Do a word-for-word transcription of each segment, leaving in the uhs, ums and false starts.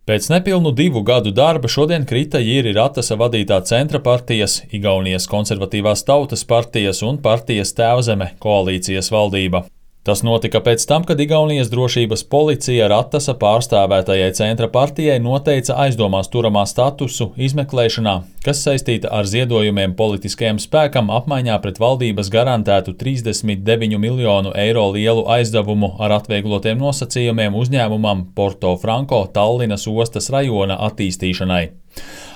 Pēc nepilnu divu gadu darba šodien krita Jiri Ratasa vadītā Centra partijas, Igaunijas konservatīvās tautas partijas un partijas Tēvzeme koalīcijas valdība. Tas notika pēc tam, kad Igaunijas drošības policija Ratasa pārstāvētajai Centra partijai noteica aizdomās turamā statusu izmeklēšanā, kas saistīta ar ziedojumiem politiskajam spēkam apmaiņā pret valdības garantētu trīsdesmit deviņu miljonu eiro lielu aizdevumu ar atvieglotiem nosacījumiem uzņēmumam Porto Franko Tallinas ostas rajona attīstīšanai.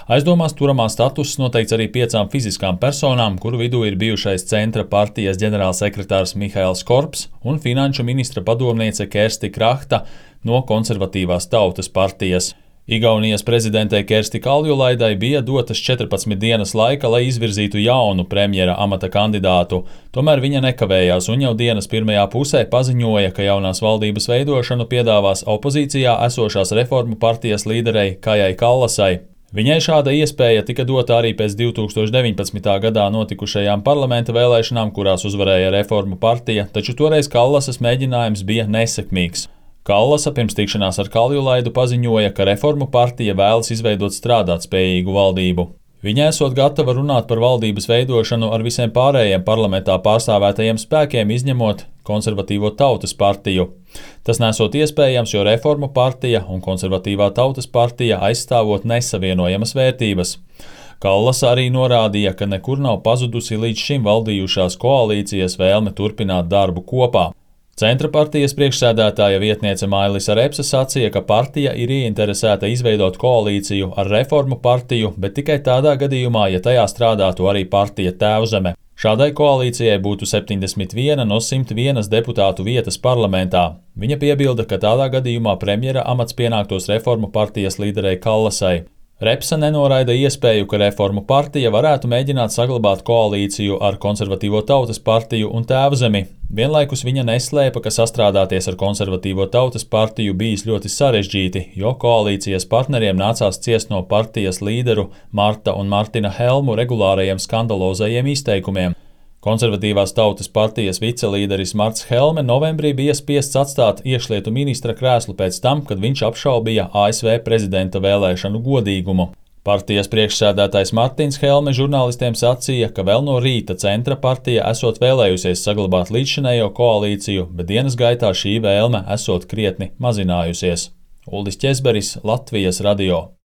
Aizdomās turamā status noteikts arī piecām fiziskām personām, kuru vidū ir bijušais Centra partijas ģenerālsekretārs Mihails Korps un finanšu ministra padomniece Kersti Krahta no konservatīvās tautas partijas. Igaunijas prezidentei Kersti Kaljulaidai bija dotas četrpadsmit dienas laika, lai izvirzītu jaunu premjera amata kandidātu, tomēr viņa nekavējās un jau dienas pirmajā pusē paziņoja, ka jaunās valdības veidošanu piedāvās opozīcijā esošās Reformu partijas līderei Kajai Kallasai. Viņai šāda iespēja tika dota arī pēc divi tūkstoši deviņpadsmitā gadā notikušajām parlamenta vēlēšanām, kurās uzvarēja Reformu partija, taču toreiz Kallasas mēģinājums bija nesekmīgs. Kallasa pirms tikšanās ar Kaljulaidu paziņoja, ka Reformu partija vēlas izveidot strādātspējīgu valdību. Viņa esot gatava runāt par valdības veidošanu ar visiem pārējiem parlamentā pārstāvētajiem spēkiem, izņemot konservatīvo tautas partiju. Tas nesot iespējams, jo Reformu partija un konservatīvā tautas partija aizstāvot nesavienojamas vērtības. Kallasa arī norādīja, ka nekur nav pazudusi līdz šim valdījušās koalīcijas vēlme turpināt darbu kopā. Centra partijas priekšsēdētāja vietniece Mailisa Repse sacīja, ka partija ir ieinteresēta izveidot koalīciju ar Reformu partiju, bet tikai tādā gadījumā, ja tajā strādātu arī partija Tēvzeme. Šādai koalīcijai būtu septiņdesmit viena no simt vienas deputātu vietas parlamentā. Viņa piebilda, ka tādā gadījumā premjera amats pienāktos Reformu partijas līderei Kallasai. Repse nenoraida iespēju, ka Reformu partija varētu mēģināt saglabāt koalīciju ar konservatīvo tautas partiju un Tēvzemi. Vienlaikus viņa neslēpa, ka sastrādāties ar konservatīvo tautas partiju bijis ļoti sarežģīti, jo koalīcijas partneriem nācās ciest no partijas līderu Marta un Martina Helmu regulārajiem skandalozajiem izteikumiem. Konservatīvās tautas partijas vicelīderis Marts Helme novembrī bija spiests atstāt iekšlietu ministra krēslu pēc tam, kad viņš apšaubīja A S V prezidenta vēlēšanu godīgumu. Partijas priekšsēdētājs Martins Helme žurnālistiem sacīja, ka vēl no rīta Centra partija esot vēlējusies saglabāt līdzšinējo koalīciju, bet dienas gaitā šī vēlme esot krietni mazinājusies. Uldis Ķezberis, Latvijas radio.